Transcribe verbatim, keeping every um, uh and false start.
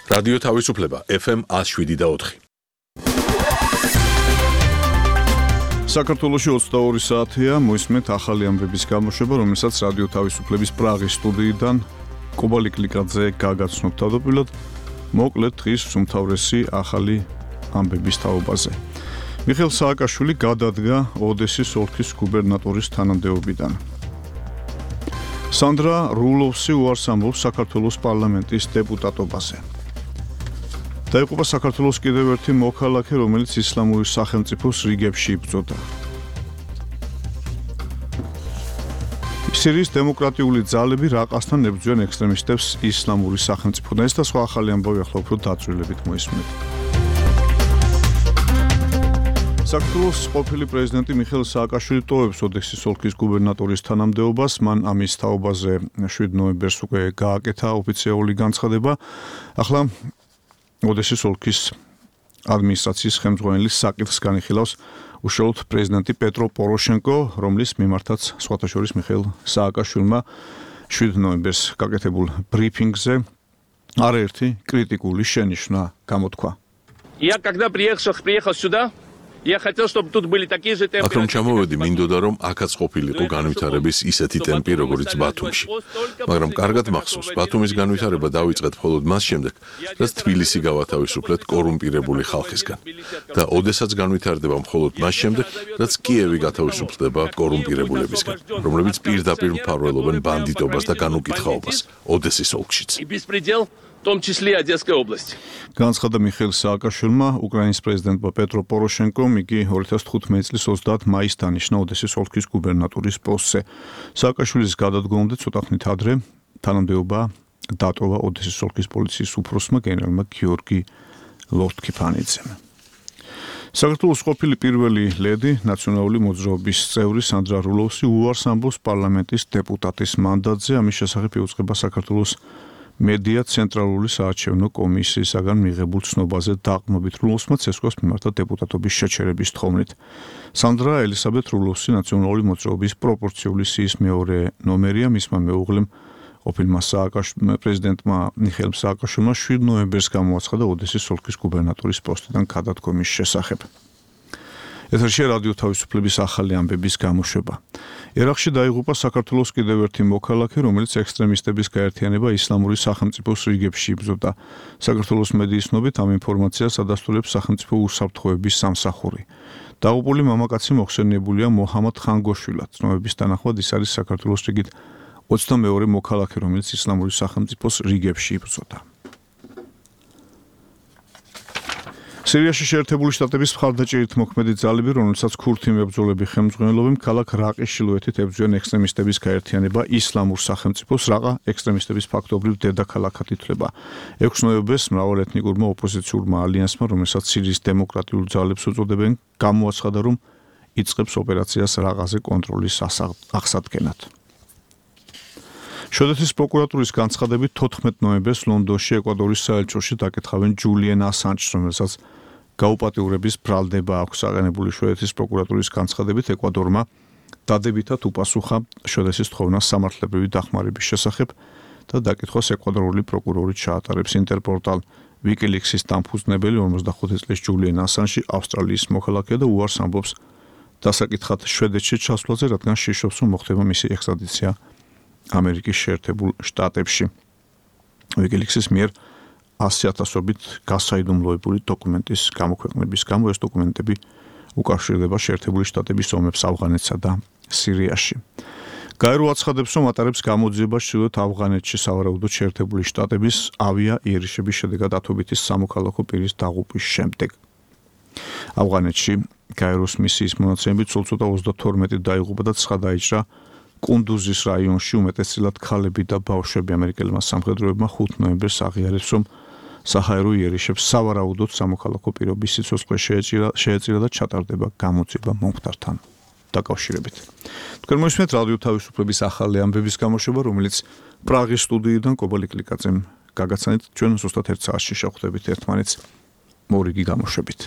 რადიო თავისუფლება ეფ ემ ათს შვიდი და ოთხი. საქართველოში ოცდაორი საათია, მოისმენთ ახალი ამბების გამოშვება, რომელსაც რადიო თავისუფლების პრაღის სტუდიიდან კობალი კლიკაძე გაგაცნობ თავდაპირველად, მოკლედ დღის უმთავრესი ახალი ამბების თაობაზე. მიხეილ სააკაშვილი გადადგა ოდესის ოლქის გუბერნატორის თანამდებობიდან. სანდრა რულოვსი უარს ამბობს საქართველოს პარლამენტის დეპუტატობაზე. დაიღუპა საქართველოს კიდევ ერთი მოქალაქე, რომელიც ისლამური სახელმწიფოს რიგებში იბრძოდა. სირიის დემოკრატიული ძალები რაყასთან ებრძვიან ექსტრემისტებს ისლამური სახელმწიფოდან. ეს და სხვა ახალი ამბავი ახლა უფრო დაწვრილებით მოისმენთ. საქართველოს ყოფილი პრეზიდენტი მიხეილ სააკაშვილი ტოვებს ოდესის ოლქის გუბერნატორის თანამდებობას. მან ამის თაობაზე შვიდ ნოემბერს უკვე გააკეთა ოფიციალური განცხადება. ახლა ოდესის ოლქის ადმინისტრაციის ხელმძღვანელის საკითხს განიხილავს უშუალოდ პრეზიდენტი პეტრო პოროშენკო, რომლის მიმართაც სხვათა შორის მიხეილ სააკაშვილმა შვიდ ნოემბერს გაკეთებულ ბრიფინგზე არაერთი კრიტიკული შენიშვნა გამოთქვა. Я когда приехал, приехал сюда, я хотел, чтобы тут были такие же температуры. აქ რომ ჩამოვედი, მინდოდა რომ აქაც ყოფილიყო განვითარების ისეთი ტემპი, როგორც ბათუმში. მაგრამ კარგად მახსოვს, ბათუმის განვითარება დავიწყეთ მხოლოდ მას შემდეგ, რაც თბილისი გავათავისუფლეთ კორუმპირებული ხალხისგან. და ოდესაც განვითარდება მხოლოდ მას შემდეგ, რაც კიევი გათავისუფლდება კორუმპირებულებისგან, რომლებიც პირდაპირ მფარველობენ ბანდიტობას და განუკითხაობას ოდესის ოლქშიც. В том числе Одесской области. განცხადა მიხეილ სააკაშვილმა უკრაინის პრეზიდენტმა პეტრო პოროშენკომ, იგი ორი ათას თხუთმეტი წლის ოცდაათ მაისს დანიშნა ოდესის ოლქის გუბერნატორის პოსტზე. სააკაშვილის გადადგომამდე ცოტა ხნით ადრე თანამდებობა დატოვა ოდესის ოლქის პოლიციის უფროსმა გენერალმა გიორგი ლორთქიფანიძემ. საქართველოს ყოფილი პირველი ლედი, ნაციონალური მოძრაობის წევრი სანდრა რულოვსი უარს ამბობს პარლამენტის დეპუტატის მანდატზე. ამის შესახებ იუწყება საქართველოს მედია ცენტრალური საარჩევნო კომისიისაგან მიღებულ ცნობაზე დაყრდნობით. რულოვსმა ცესკოს მიმართა დეპუტატობის შეჩერების თხოვნით. სანდრა ელისაბედ რულოვსი ნაციონალური მოძრაობის პროპორციული სიის მეორე ნომერია. მისმა მეუღლემ ყოფილმა პრეზიდენტმა მიხეილ სააკაშვილმა შვიდ ნოემბერს გამოაცხადა ოდესის ოლქის გუბერნატორის პოსტიდან გადადგომის შესახებ. ეთერში რადიო თავისუფლების ახალი ამბების გამოშვება. ერაყში დაიღუპა საქართველოს კიდევ ერთი მოქალაქე, რომელიც ექსტრემისტების გაერთიანება ისლამური სახელმწიფოს რიგებში იბრძოდა. საქართველოს მედიის ცნობით ამ ინფორმაციას ადასტურებს სახელმწიფო უსაფრთხოების სამსახური. დაღუპული მამაკაცი მოხსენიებულია მოჰამად ხანგოშვილად. ცნობების თანახმად ის არის საქართველოს რიგით ოცდამეორე მოქალაქე, რომელიც ისლამური სახელმწიფოს რიგებში იბრძოდა. სირიაში შეერთებული შტატების მხარდაჭერით მოქმედი ძალები, რომელსაც ქურთი მებრძოლები ხელმძღვანელობენ, ქალაქ რაყის ჩრდილოეთით ებრძვიან ექსტრემისტების გაერთიანება ისლამურ სახელმწიფოს. რაყა ექსტრემისტების ფაქტობრივ დედაქალაქად ითვლება. ექვსი ნოემბერს მრავალეთნიკურმა ოპოზიციურმა ალიანსმა, რომელსაც სირიის დემოკრატიულ ძალებს უწოდებენ, გამოაცხადა, რომ იწყებს ოპერაციას რაყაზე კონტროლის აღსადგენად. შვედეთის პროკურატურის განცხადებით თოთხმეტ ნოემბერს ლონდონში ეკვადორის საელჩოში დაკითხავენ ჯულიენ ასანჯს, რომელსაც გაუპატიურების ბრალდება აქვს აღენებული. შვედეთის პროკურატურის განცხადებით ეკვადორმა დადებითად უპასუხა შვედეთის თხოვნას სამართლებრივი დახმარების შესახებ და დაკითხვას ეკვადორული პროკურორი ჩაატარებს. ინტერპორტალ ვიკილიქსის დამფუძნებელი ორმოცდახუთი წლის ჯულიენ ასანჯი ავსტრალიის მოქალაქეა და უარს ამბობს დასაკითხად შვედეთში ჩასვლაზე, რადგან შიშობს, რომ მოხდება მისი ექსტრადიცია ამერიკის შეერთებულ შტატებში. ვიკილიქსის მიერ ასი ათასობით გასაიდუმლოებული დოკუმენტის გამოქვეყნების გამო ეს დოკუმენტები უკავშირდება შეერთებული შტატების ომებს ავღანეთსა და სირიაში. გაერო აცხადებს, რომ ატარებს გამოძიებას ჩრდილოეთ ავღანეთში სავარაუდოდ შეერთებული შტატების ავია იერიშების შედეგად ათობითი სამოქალაქო პირის დაღუპვის შემდეგ. ავღანეთში გაეროს მისიის მონაცემებით სულ ცოტა ოცდათორმეტი დაიღუპა და ცხრა დაიჭრა კუნდუზის რაიონში, უმეტესწილად ქალები და ბავშვები. ამერიკელმა სამხედროებმა ხუთი ნოემბერს აღიარეს, რომ საჰაერო იერიშებს სავარაუდოდ სამოქალაქო პირობის სიცოცხლე შეეწირა და ჩატარდება გამოძიება მომხდართან დაკავშირებით. თქვენ მოისმენთ რადიო თავისუფლების ახალი ამბების გამოშვება, რომელიც პრაღის სტუდიიდან კობალი კლიკაძემ გაგაცანით. ჩვენ ზუსტად ერთ საათში შევხვდებით ერთმანეთს მორიგი გამოშვებით.